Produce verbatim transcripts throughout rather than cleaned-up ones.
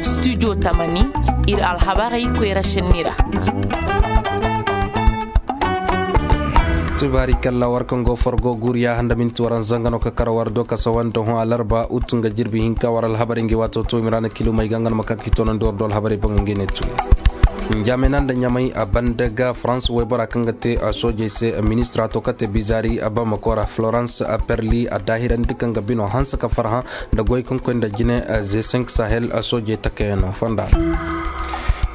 Studio tamani, ir alhabarey koyra šenni ra. Tubaari kalla war kaŋ go forgo guuriya handa minti waranza nga no ka kar war do ka sawa nda hõ alarba ut nga jirbi hinka war alhabarey ngi waato to imiraana kilumey ga nga no ma ka ki tonandi war do alhabarey boŋ ngi ne tu. Njamena nda ɲamey a banda ga farans waybora kaŋ ga te soojey se ministra to ka te bizaari a bamako ra florence a perli a daahirandi kaŋ ga bino hanse ka farhã nda goy kaŋ koy nda jine ze cinq sahel soojey takayano fonda.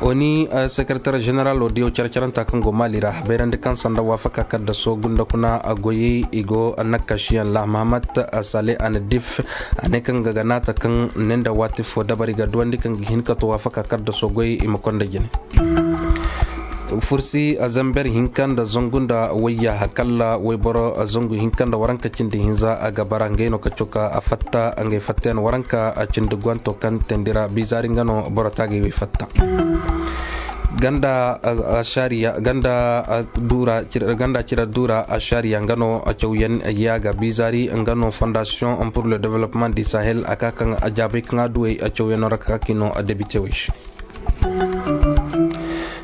Oni sekretar ženeral wo diyo care-caranta kaŋ go mali ra bayrandi kaŋ sanda waafaka kadda soogu nda kuna goyey i go nakkasiyaŋ ra mahamat sale a na dif a ne kaŋ ga ga naata kaŋ ne nda waati fo dabari ga duwandi kaŋ ga hin ka to waafaka kadda soogoy i ma konda jine. Fursi a zamber hinka nda zangu nda wayya kalla wayboro zangu hinka nda waranka cindi hinza a ga bara ngey no ka coka a fatta ngey fattayan waranka a cindi gwanto kaŋ tendira bizari nga no boro taagay wey fatta. Ganda ashariya ganda dura ganda cira dura ashariya nga no a cawyan yaaga bizari nga no fondation pour le développement du sahel a ka kaŋ a jaabay kaŋ a duwey a cawyano ra ka ka kino a debitewey se.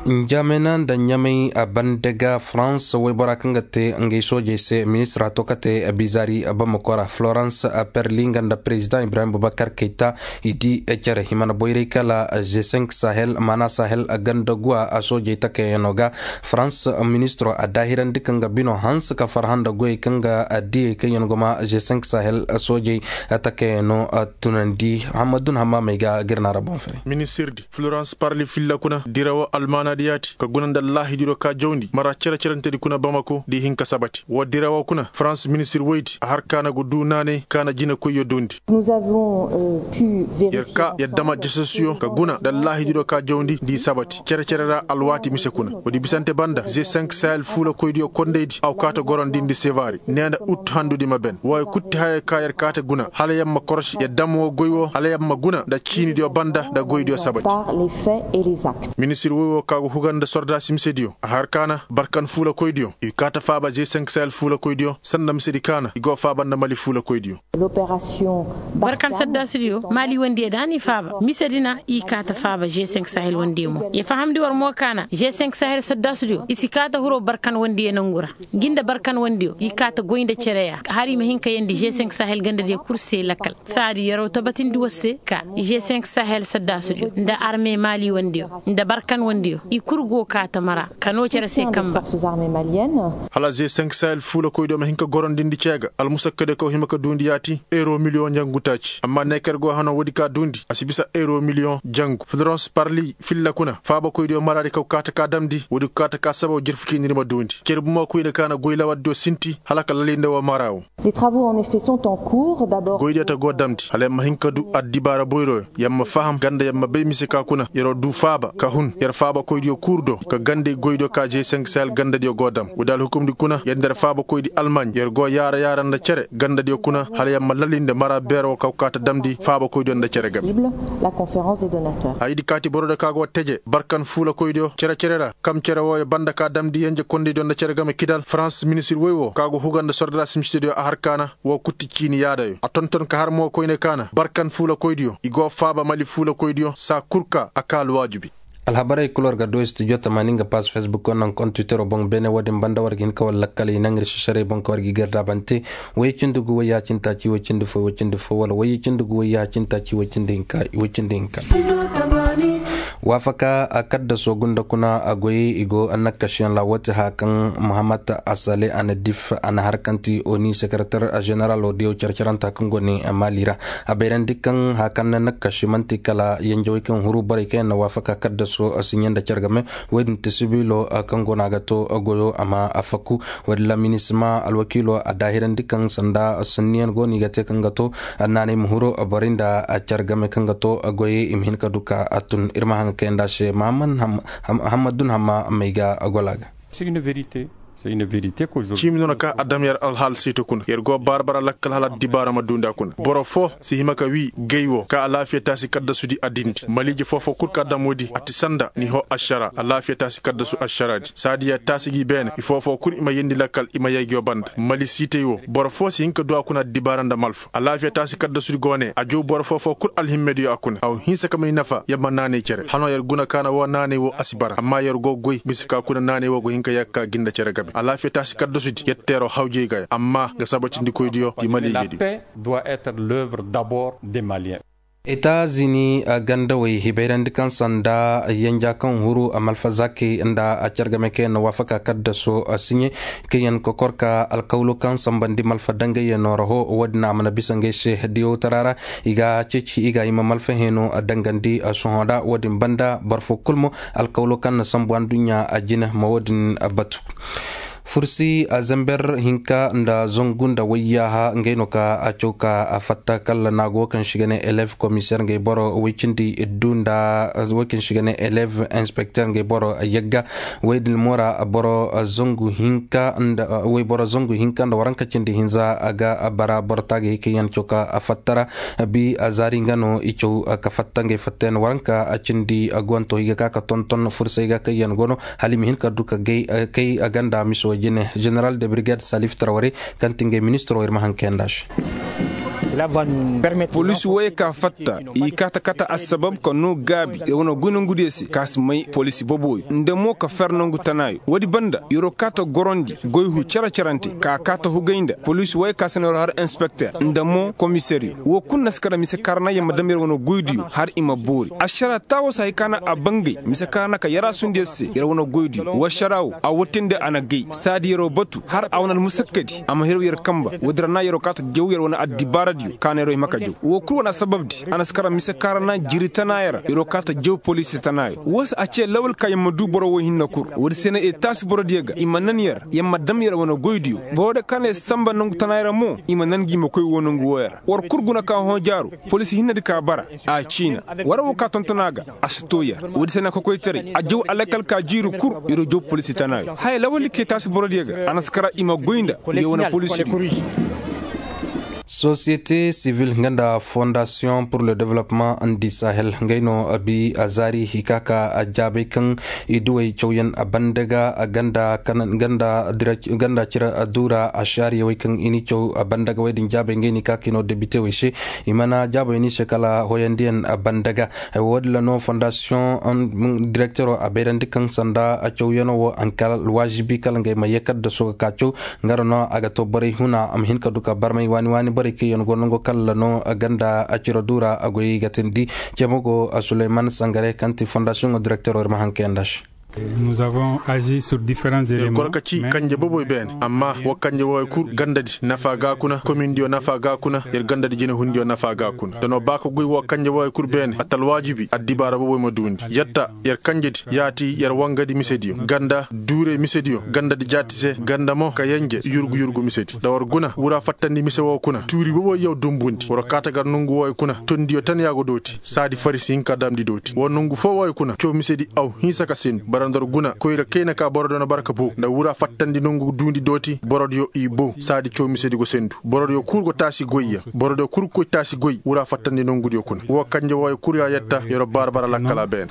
Njamena nda ɲamey a banda ga farans waybora kaŋ ga te ngey soojey se ministra to ka te bizari bamako ra florence perli nga nda president ibrahim bubakar kayta i di care himana boyray kala g cinq sahel maana sahel ganda guwa a soojey takayano ga farans ministro a daahirandi kaŋ ga bino hanse ka farhã nda goyey kaŋ ga diyey kaŋ yaŋ goma g cinq sahel soojey takayano tunandi hamadun hammamey ga girna ra boŋ fere. Ministirdi florence parli filla kuna dirawo almaanadi yaati ka guna nda allahidiro ka jawndi mara cere-cerentedi kuna bamako di hin ka sabati wo dirawo kuna farans ministir woydi a har kaana go du naanay kaana jinakoyyo dundi. Yer ka yer dama jasasuyo ka guna nda allahidiro ka jawndi di sabati cere-cere ra alwaati mise kuna woodi bisante banda g cinq sahel fuulakoydiyo kondaydi aw kaata gorondindi sevari neena ut handudi ma ben wooyo kutti hayo ka yer kaata guna hala yer ma korosi yer dam woo goy woo hala yer ma guna nda ciinidiyo banda nda goydiyo sabati. Ministir woy woo ka go huga nda sordaasi misediyo a har kaana barkan fuulakoydiyo i kaata faaba g cinq sahel fuulakoydiyo sanda misedi kaana i go faaba nda mali fuulakoydiyo. Barkan saddaasudiyo maali wandiyo da ni faaba misedi na i kaata faaba g cinq sahel wandiyo mo ya fahamndi war mo kaana g cinq sahel saddaasudiyo i si kaata huroo barkan wandiyo nangu ra. Ngi nda barkan wandiyo i kaata goy nda cere ya hari i ma hin ka yeendi g cinq sahel gandadiyo kul se lakkal saadi yaraw tabatindi war se ka g cinq sahel saddaasudiyo nda arme maali wandiyo nda barkan wandiyo i kul go kaata mara ka noo cere se kamba. Hala g cinq sahel fuulakoydiyo ma hin ka gorondindi cee ga almusakkadiyo kaŋ hima ka duundi yaati euro miliyoŋ njangu taaci amma neeker go hano woodi ka duundi a si bisa euro miliyoŋ njangu florence parli filla kuna faabakoydiyo maraadi kaŋ kaata ka damndi woodi kaata ka sabaw jirfu ciiniri ma duundi cere bumo koyne kaana goy lawardiyo sinti hala ka lalinde woo mara woo. Goydiyo ta go damndi hala yer ma hin ka du addibaara boyroyo yer ma faham ganda yer ma bay mise ka kuna yeroo du faaba ka hun yer faabakoydiyo kuur do ka gande goydiyo ka g cinq sahel gandadiyo go dam woodi alhukumdi kuna yer nda yer faabakoydi almaaɲ yer go yaara yaara nda cere gandadiyo kuna hala yer ma lalinde mara beero woo kaw kaata damndi faabakoydiyo nda cere game. Hayadi kaati borodiyo ka go teje barkan fuulakoydiyo cere cere ra kam cere wooyo banda ka damndi yenje kondaydiyo nda cere game kidal farans ministir woy woo ka go huga nda sordaasi misediyo a har kaana woo kutti ciini yaadayo a tonton ka har mo koyne kaana barkan fuulakoydiyo i go faaba mali fuulakoydiyo saa kul ka a ka alwaajibi. Alhabarey kul war ga du studio tamaani nga paas facebook wo naŋ kont twittero boŋ beene wo-din banda war ga hin ka war lakkal i naŋ ir sisarey boŋ ka war ga i gardaabante. Wayye cindi gu wayye hacinta ci wayye cindi fo wayye cindi fo wala wayye cindi gu wayye hacinta ci wayye cindi hinka wayye cindi hinka. Waafaka a kaddaso gunda kuna a goyey i go nakkasiyaŋ ra wo ti haya kaŋ muhammad asale a na dif a na har kaŋ ti oni sekaratar ženeral wo diyaw care-caranta kaŋ go ne maali ra. A bayrandi kaŋ haya kaŋ na nakkasi man'ti kala yanjawey kaŋ huru borey kaŋ yaŋ na waafaka kaddaso siɲe nda care game. Woy din ti sibilo kaŋ go no a ga to goyo a ma a fakku. Woy din ra minisima alwakiilo a daahirandi kaŋ sanda sanniyaŋ go no i ga te kaŋ ga to naanay ma huru borey nda care game kaŋ ga to goyey i ma hin ka du ka a tun ir ma haŋ ga kayandi a se mahammad dun hamma may ga gola ga. Ciimi no na ka a dam yer alhaal siito kuna yer go baara bara lakkal hala addibaara ma duundi a kuna boro foo si hima ka wii gay woo ka alaafiya taasi kaddasudi a dindi maliije foo-foo kul ka a dam woodi a ti sanda ni hoo ašaraa alaafiya taasi kaddasu ašaraadi saadi yer taasi gi beene ifoofoo kul i ma yeendi lakkal i ma yee ngi yoo banda mali siitey woo boro foo si hin ka duu a kuna addibaara nda malfa alaafiya taasi kaddasudi go ne a jaw boro foo-foo kul alhimmediyo a kuna a wa hinsa ka may nafa yer ma naanay cere hanoo yer guna ka na woo naanay woo a si bara amma yer go goy bisa ka kuna naanay woo go hin ka yee ka kaa ginda cere game alaafiya taasi kaddasudi yer teeroo hawjey ga ya amma nga sabacindikoydiyo di maliijediyo. Doit être l'œuvre d'abord des maliens. Etazini gandawey i bayrandi kaŋ sanda yenja kaŋ huru malfa zakey nda a cargame kaŋ yaŋ na waafaka kaddaso siɲe kaŋ yaŋ kokor ka alkawlo kaŋ sambandi malfa dangayyanoo ra hoo wo-din a mana bisa ngey se diyawtara ra i ga ceeci i ga i ma malfa heenoo dangandi sohõ ra wo-din banda boro foo kul mo alkawlo kaŋ na sambu anduɲɲa jine ma wo-din batu. Fursi a zamber hinka nda zangu nda wayyaaha ngey no ka a caw ka a fatta kala naago wo kaŋ se i ga ne elev komiseer ngey boro woy cindi iddu nda woy kaŋ se i ga ne elev inspekteer ngey boro yagga woy din mo ra boro zangu hinka nda waranka cindi hinza a ga bara boro taagay kaŋ yaŋ caw ka a fatta ra bi a zaari nga no i caw ka fatta ngey fatta yaŋ waranka cindi guwanto i ga ka ka tonton fursay ga kaŋ yaŋ go no hala i ma hin ka du ka kay ganda mise wo jine. Jeneral de birged salif taraware kaŋ ti ngey ministiro ir ma haŋ kayanda se. Poliisi woyey ka fatta i kaata kaata assabab ka noo gaabi ir wane goy nongudiyo se ka si may poliisi boboyo nda mo ka fer nongu tanaayo woodi banda yeroo kaata gorondi goy hu cere-cerante ka kaata hugay nda poliisi woyey ka se no yeroo har inspekter nda mo komiseeriyo woo kul na si kara mise kaarana yer ma dam yer wane goydiyo har i ma boori ašaraa taawoo se hay ka na a bangay mise kaarana ka yaraasundiyo se yer wane goydiyo woo ašaraa woo a watindi a na gay saadi yeroo batu har a wane almusakkadi a ma hiraw yer kamba woodi ra na yeroo kaata jaw yer wane addibaaradiyo ka na yeroo hima ka jaw woo kul wane assababdi a na si kara mise kaarana jiri tanaayo ra yeroo kaata jaw poliisi tanaayo woo se a cee lawal ka yer ma duu boro woy hinne kul woodi se na etaasi borodiyo ga i ma nan yer yer ma dam yer wane goydiyo borodiyo ka na yer samba nongu tanaayo ra mo i ma nan ngi ma koy woo nongu wooyo ra war kul guna ka hõ jaaru poliisi hinnedi ka bara a ciina war woo ka tonton a ga a si too yer woodi se na kokoytaray a jaw alakal ka jiiri kul yeroo jaw poliisi tanaayo haya lawaldi ka etaasi borodiyo ga a na si kara i ma goy nda yer wane poliisidiyo. Sosiyete sivil nga nda fondasiyoŋ pur le development di sahel ngey no bi a zaari i ka ka jaabay kaŋ i duwey cawyaŋ a banda ga ganda cire duura a shaariyawey kaŋ i ni caw a banda ga wey din jaabay ngey ni ka ka i no debitewey se i mana jaabay ni se kala hoyandiyaŋ a banda ga. Wo- din ra no fondasiyoŋ direktero a bayrandi kaŋ sanda a cawyaŋo wo a na kala alwaazibi kala ngey ma yee kaddaso ga ka caw. Nga ra no a ga to borey huna a ma hin ka du ka barmay waani waani borey kaŋ yaŋ go nango kala no ganda a ciro du ra a goyey ga tindi. Cemo go suleyman sangare kaŋ ti fondasiyoŋo direktero ir ma haŋ kayanda se. Yer goro ka ci kanje boboy beene amma wo kanje wooyo kul gandadi nafa ga kuna komindiyo nafa ga kuna yer gandadi jinehundiyo nafa ga kuna da no ba ka goy wo kanje wooyo kul beene a ta alwaajibi addibaara boboy ma duundi yatta yer kanjedi yaati yer wangadi misediyo ganda duurey misediyo gandadi jaati se ganda mo ka yenje yurgu yurgu misedi da war guna wura fattandi mise woo kuna tuuri boboy yaw dumbundi war kaata gar nongu wooyo kuna tondiyo tan yaa go dooti saadi fari si hin ka damndi dooti war nongu foo wooyo kuna caw misedi aw hinsa ka sendu bara nda war guna koyra kayna ka borodiyo na bara ka bow nda wura fattandi nongu duundi dooti borodiyo i bow saadi caw misedi go sendu borodiyo kul go taasi goyyaŋ borodiyo kul go koy taasi goy wura fattandi nongudiyo kuna woo kanje wooyo kul yaa yetta yer'o baara bara lakkala beene.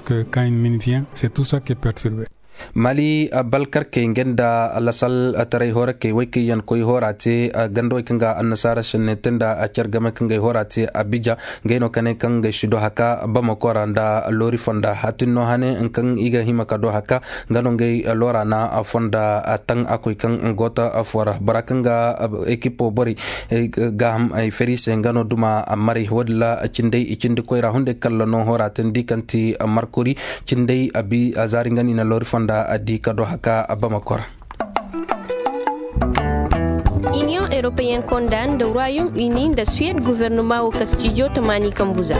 Mali balkarkey nga nda lasaltaray horakey wey kaŋ yaŋ koy hora te ganda wey kaŋ ga annasaara senne te nda car game kaŋ ga ay hora te abija. Ngey no ka ne kaŋ ngey si do haka bamako ra nda loori fonda hatin no hane kaŋ i ga hima ka do haka nga no ngey loora na fonda taŋ a koy kaŋ goota fo ra bora kaŋ ga ekipo borey gaaham ay feri se nga no duma maray wo- din ra cindey i cindi koyra hunday kalla no hora tandi kaŋ ti markori cindey a bi a zaari nga no i na loori fonda a di ka do haka bamako ra. Iniyoŋ eropeyen konda nda royaume uni nda suwed guvernoma wo ka stijo tamaani kambuza.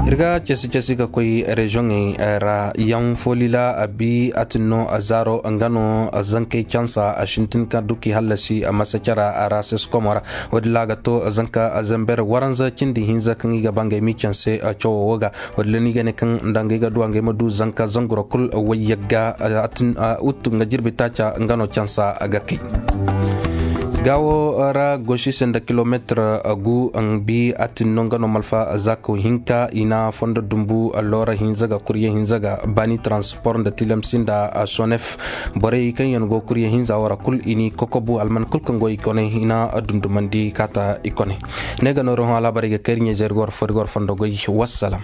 Ir ga casi casi ga koy reziyoŋey ra yaŋ folila a bi a tin no a zaaro nga no zankey cansa a sintin ka duki hallasi a masa cara a ra seskomo ra. Wadilla ga to zanka zamber waranza cindi hinza kaŋ i ga ba ngey mi canse cawo wo ga. Wadilla ni ga ne kaŋ nda ngey ga duwa ngey ma du zanka zangura kul wayyagga a tin a uttu nga jirbi taaca nga no cansa ga kay. Gaawo ra gosi se nda kilometir gu bi a tin no nga no malfa zaako hinka i na fondo dumbu loora hinza ga kurye hinza ga baani transport nda tilamsi nda sonef. Borey kaŋ yaŋ go kurye hinza wara kul i ni kokobu alman kul kaŋ go i kone i na dundumandi kaata i kone. Ne ga nooro hõ alaabarey ga kayri ɲeezer gor fori gor fondo goy. Wassalam.